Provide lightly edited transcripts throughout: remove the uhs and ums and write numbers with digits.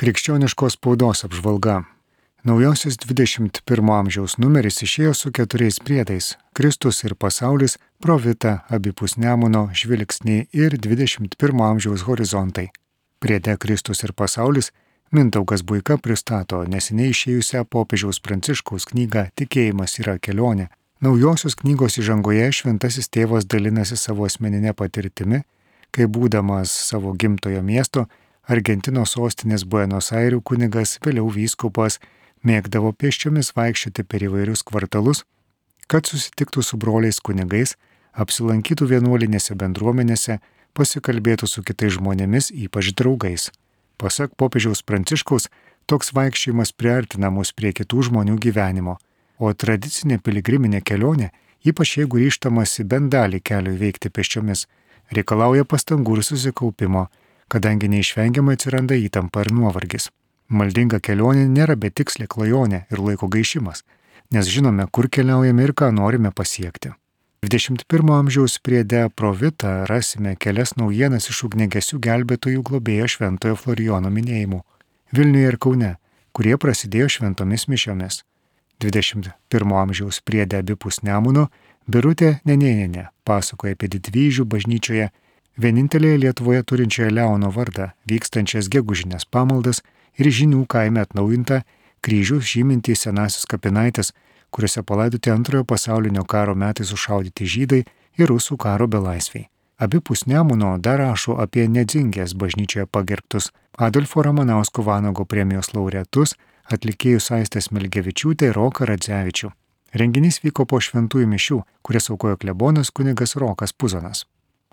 Krikščioniškos spaudos apžvalga. Naujosios 21 amžiaus numeris išėjo su 4 priedais – Kristus ir pasaulis, Provita, abipus Nemuno, žvilgsniai ir 21 amžiaus horizontai. Priede Kristus ir pasaulis Mindaugas Buika pristato neseniai išėjusią popiežiaus Pranciškaus knygą Tikėjimas yra kelionė. Naujosios knygos įžangoje šventasis tėvas dalinasi savo asmeninę patirtimi, kai būdamas savo gimtojo miesto, Argentinos sostinės Buenos Airių kunigas, vėliau vyskupas, mėgdavo pėsčiomis vaikščioti per įvairius kvartalus, kad susitiktų su broliais kunigais, apsilankytų vienuolinėse bendruomenėse, pasikalbėtų su kitais žmonėmis, ypač draugais. Pasak popiežiaus Pranciškaus, toks vaikščiojimas priartina mus prie kitų žmonių gyvenimo, o tradicinė piligriminė kelionė, ypač jeigu ryžtamasi bent dalį kelio įveikti pėsčiomis, reikalauja pastangų ir susikaupimo, kadangi neišvengiamai atsiranda įtampa ir nuovargis. Maldinga kelionė nėra betikslė klajonė ir laiko gaišimas, nes žinome, kur keliaujame ir ką norime pasiekti. 21 amžiaus priede Provita rasime kelias naujienas iš ugniagesių gelbėtojų globėjo Šventojo Florijono minėjimų Vilniuje ir Kaune, kurie prasidėjo šventomis mišiomis. 21 amžiaus priede abipus Nemuno Birutė Nenėnienė pasakoja apie Didvyžių bažnyčioje, vienintelėje Lietuvoje turinčioje Leono vardą, vykstančias gegužinės pamaldas ir Žinių kaime atnaujintą kryžių žymintį senasius kapinaitės, kuriuose palaidoti Antrojo pasaulinio karo metais sušaudyti žydai ir rusų karo belaisviai. Abipus Nemuno dar rašo apie Nedzingės bažnyčioje pagerbtus Adolfo Ramanausko Vanago premijos laureatus, atlikėjus Aistę Smilgevičiūtę ir Roką Radzevičių. Renginys vyko po šventųjų mišių, kurias aukojo klebonas kunigas Rokas Puzonas.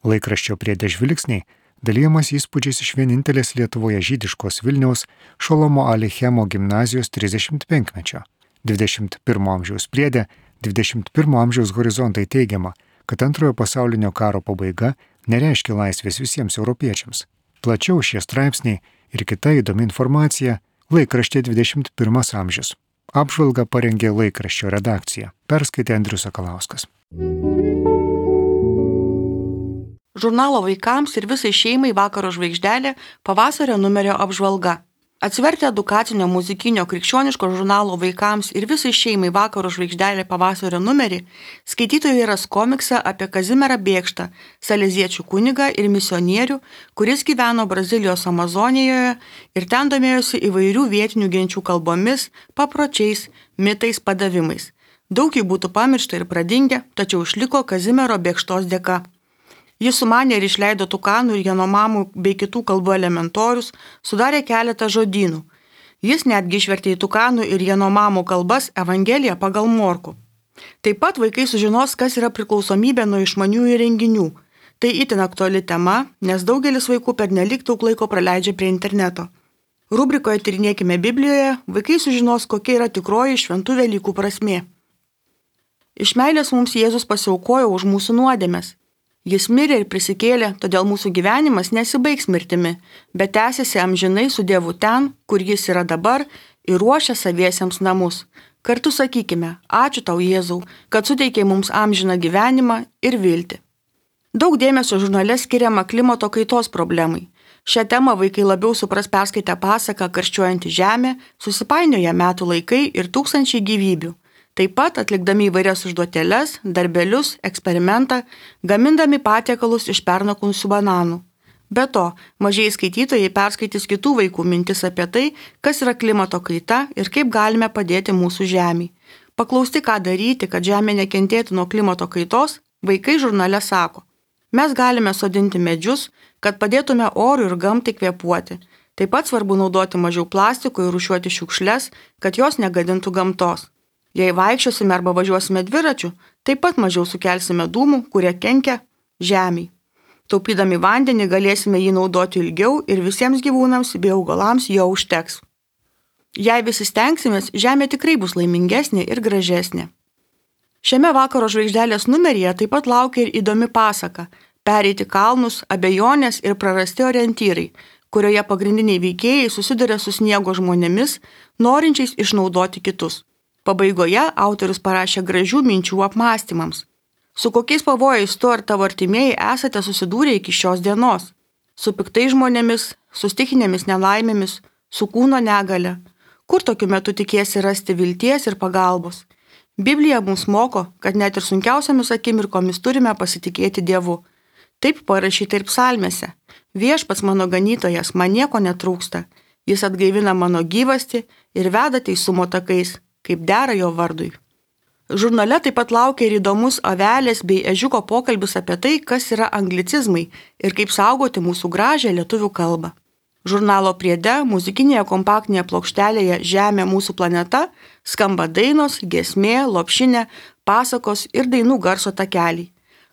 Laikraščio priede žvilgsniai dalyjamas įspūdžiais iš vienintelės Lietuvoje žydiškos Vilniaus Šolomo Alichemo gimnazijos 35-mečio. 21 amžiaus priede 21 amžiaus horizontai teigiama, kad Antrojo pasaulinio karo pabaiga nereiškia laisvės visiems europiečiams. Plačiau šie straipsniai ir kita įdomi informacija laikraštė 21 amžius. Apžvalgą parengė laikraščio redakcija. Perskaitė Andrius Sakalauskas. Žurnalo vaikams ir visai šeimai Vakaro žvaigždelė pavasario numerio apžvalga. Atsivertę edukacinio muzikinio krikščioniško žurnalo vaikams ir visai šeimai Vakaro žvaigždelė pavasario numerį, skaitytojai ras komiksą apie Kazimierą Bėkštą, saleziečių kunigą ir misionierių, kuris gyveno Brazilijos Amazonijoje ir ten domėjosi įvairių vietinių genčių kalbomis, papročiais, mitais, padavimais. Daug jų būtų pamiršta ir pradingę, tačiau išliko Kazimiero Bėkštos dėka. Jis sumanė ir išleido tukanų ir janomamų bei kitų kalbų elementorius, sudarė keletą žodynų. Jis netgi išvertė į tukanų ir janomamų kalbas Evangeliją pagal Morkų. Taip pat vaikai sužinos, kas yra priklausomybė nuo išmaniųjų įrenginių. Tai itin aktuali tema, nes daugelis vaikų pernelyg daug laiko praleidžia prie interneto. Rubrikoje Tyrinėkime Biblijoje vaikai sužinos, kokia yra tikroji šventų Velykų prasmė. Iš meilės mums Jėzus pasiaukojo už mūsų nuodėmes. Jis mirė ir prisikėlė, todėl mūsų gyvenimas nesibaigs mirtimi, bet tęsiasi amžinai su Dievu ten, kur jis yra dabar ir ruošia saviesiems namus. Kartu sakykime, ačiū tau Jėzau, kad suteikei mums amžiną gyvenimą ir viltį. Daug dėmesio žurnale skiriama klimato kaitos problemai. Šią temą vaikai labiau supras perskaitę pasaką Karščiuojanti žemė, susipainioja metų laikai ir tūkstančiai gyvybių. Taip pat atlikdami įvairias užduotėles, darbelius, eksperimentą, gamindami patiekalus iš pernokusių bananų. Be to, mažieji skaitytojai perskaitys kitų vaikų mintis apie tai, kas yra klimato kaita ir kaip galime padėti mūsų žemei. Paklausti, ką daryti, kad žemė nekentėtų nuo klimato kaitos, vaikai žurnale sako: mes galime sodinti medžius, kad padėtume orui ir gamtai kvėpuoti. Taip pat svarbu naudoti mažiau plastiko ir rūšiuoti šiukšles, kad jos negadintų gamtos. Jei vaikščiosime arba važiuosime dviračiu, taip pat mažiau sukelsime dūmų, kurie kenkia žemei. Taupydami vandenį galėsime jį naudoti ilgiau ir visiems gyvūnams bei augalams jo užteks. Jei visi stengsimės, žemė tikrai bus laimingesnė ir gražesnė. Šiame Vakaro žvaigždelės numeryje taip pat laukia ir įdomi pasaka Pereiti kalnus, abejonės ir prarasti orientyrai, kurioje pagrindiniai veikėjai susiduria su sniego žmonėmis, norinčiais išnaudoti kitus. Pabaigoje autorius parašė gražių minčių apmąstymams. Su kokiais pavojais tu ar tavo artimieji esate susidūrę iki šios dienos? Su piktais žmonėmis, su stichinėmis nelaimėmis, su kūno negale. Kur tokiu metu tikėsi rasti vilties ir pagalbos? Biblija mums moko, kad net ir sunkiausiamis akimirkomis turime pasitikėti Dievu. Taip parašyta ir psalmėse. Viešpats mano ganytojas, man nieko netrūksta. Jis atgaivina mano gyvastį ir veda teisumo takais, kaip dera jo vardui. Žurnale taip pat laukia ir įdomus avelės bei ežiuko pokalbis apie tai, kas yra anglicizmai ir kaip saugoti mūsų gražią lietuvių kalbą. Žurnalo priede muzikinėje kompaktinėje plokštelėje Žemė mūsų planeta skamba dainos, giesmė, lopšinė, pasakos ir dainų garso takeliai.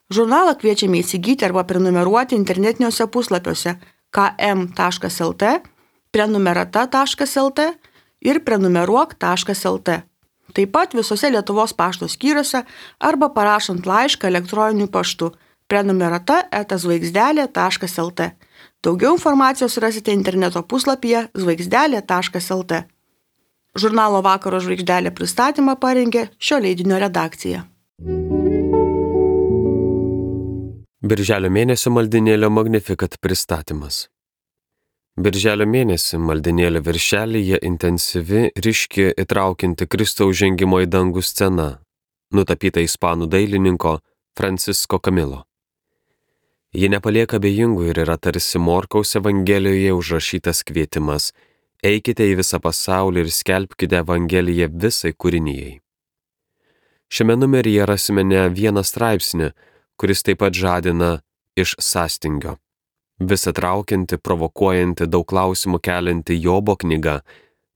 Žurnalą kviečiame įsigyti arba prenumeruoti internetiniuose puslapiuose km.lt, prenumerata.lt ir prenumeruok.lt. Taip pat visose Lietuvos pašto skyriuose arba parašant laišką elektroniniu paštu prenumerata@žvaigždelė.lt. Daugiau informacijos rasite interneto puslapyje žvaigždelė.lt. Žurnalo Vakaro žvaigždelė pristatymą parengė šio leidinio redakcija. Birželio mėnesio maldinėlio Magnificat pristatymas. Birželio mėnesį maldinėlio viršelyje intensyvi, ryški, įtraukianti Kristaus žengimo į dangų scena, nutapyta ispanų dailininko Francisco Camilo. Ji nepalieka abejingų ir yra tarsi Morkaus Evangelijoje užrašytas kvietimas: eikite į visą pasaulį ir skelbkite Evangeliją visai kūrinijai. Šiame numeryje rasime ne vieną straipsnį, kuris taip pat žadina iš sąstingio. Visa traukianti, provokuojanti, daug klausimų kelianti Jobo knyga,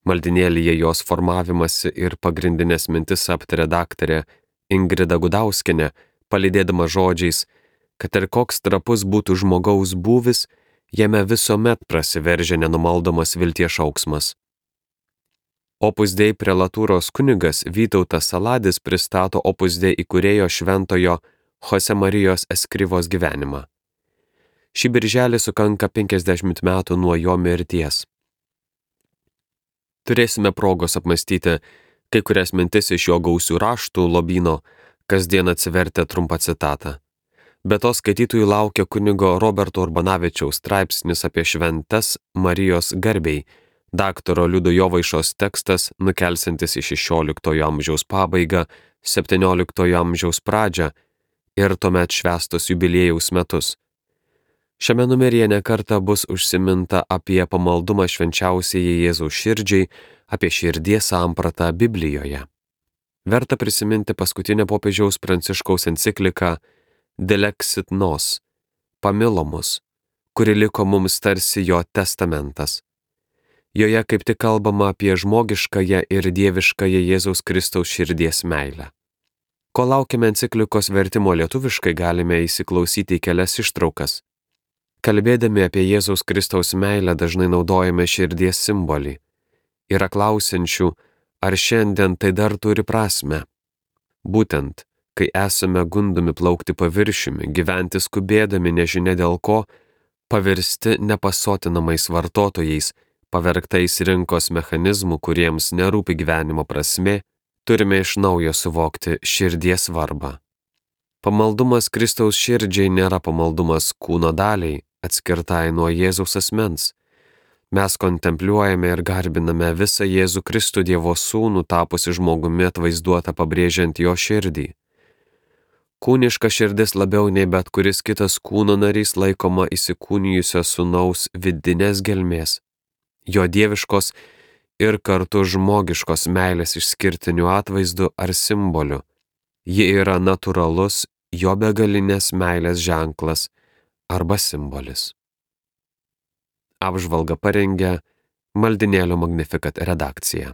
maldinėlyje jos formavimasi ir pagrindinės mintis aptarė daktarė Ingrida Gudauskienė, palydėdama žodžiais, kad ir koks trapus būtų žmogaus būvis, jame visuomet prasiveržia nenumaldomas vilties šauksmas. Opus Dei prelatūros kunigas Vytautas Saladis pristato Opus Dei įkūrėjo šventojo Jose Marijos Eskrivos gyvenimą. Šį birželį sukanka 50 metų nuo jo mirties. Turėsime progos apmąstyti kai kurias mintis iš jo gausių raštų lobyno, kasdien atsivertę trumpą citatą. Be to skaitytojų laukia kunigo Roberto Urbanavičiaus straipsnis apie šventes Marijos garbei, daktaro Liudo Jovaišos tekstas nukelsiantis į 16 amžiaus pabaigą, 17 amžiaus pradžią ir tuomet švęstos jubiliejaus metus. Šiame numeryje nekartą bus užsiminta apie pamaldumą švenčiausiajai Jėzaus širdžiai, apie širdies sampratą Biblijoje. Verta prisiminti paskutinę popiežiaus Pranciškaus encikliką Dilexit Nos, pamilo mus, kuri liko mums tarsi jo testamentas. Joje kaip tik kalbama apie žmogiškąją ir dieviškąją Jėzaus Kristaus širdies meilę. Ko laukiame enciklikos vertimo lietuviškai, galime įsiklausyti į kelias ištraukas. Kalbėdami apie Jėzaus Kristaus meilę dažnai naudojame širdies simbolį. Yra klausiančių, ar šiandien tai dar turi prasmę. Būtent, kai esame gundomi plaukti paviršiumi, gyventi skubėdami nežinia dėl ko, pavirsti nepasotinamais vartotojais, pavergtais rinkos mechanizmų, kuriems nerūpi gyvenimo prasmė, turime iš naujo suvokti širdies svarbą. Pamaldumas Kristaus širdžiai nėra pamaldumas kūno daliai, atskirtai nuo Jėzaus asmens. Mes kontempliuojame ir garbiname visą Jėzų Kristų Dievo sūnų tapusi žmogumi atvaizduotą pabrėžiant jo širdį. Kūniška širdis labiau nei bet kuris kitas kūno narys laikoma įsikūnijusio sūnaus vidinės gelmės, jo dieviškos ir kartu žmogiškos meilės išskirtiniu atvaizdu ar simboliu. Ji yra natūralus jo begalinės meilės ženklas arba simbolis. Apžvalgą parengė Maldinėlio Magnificat redakcija.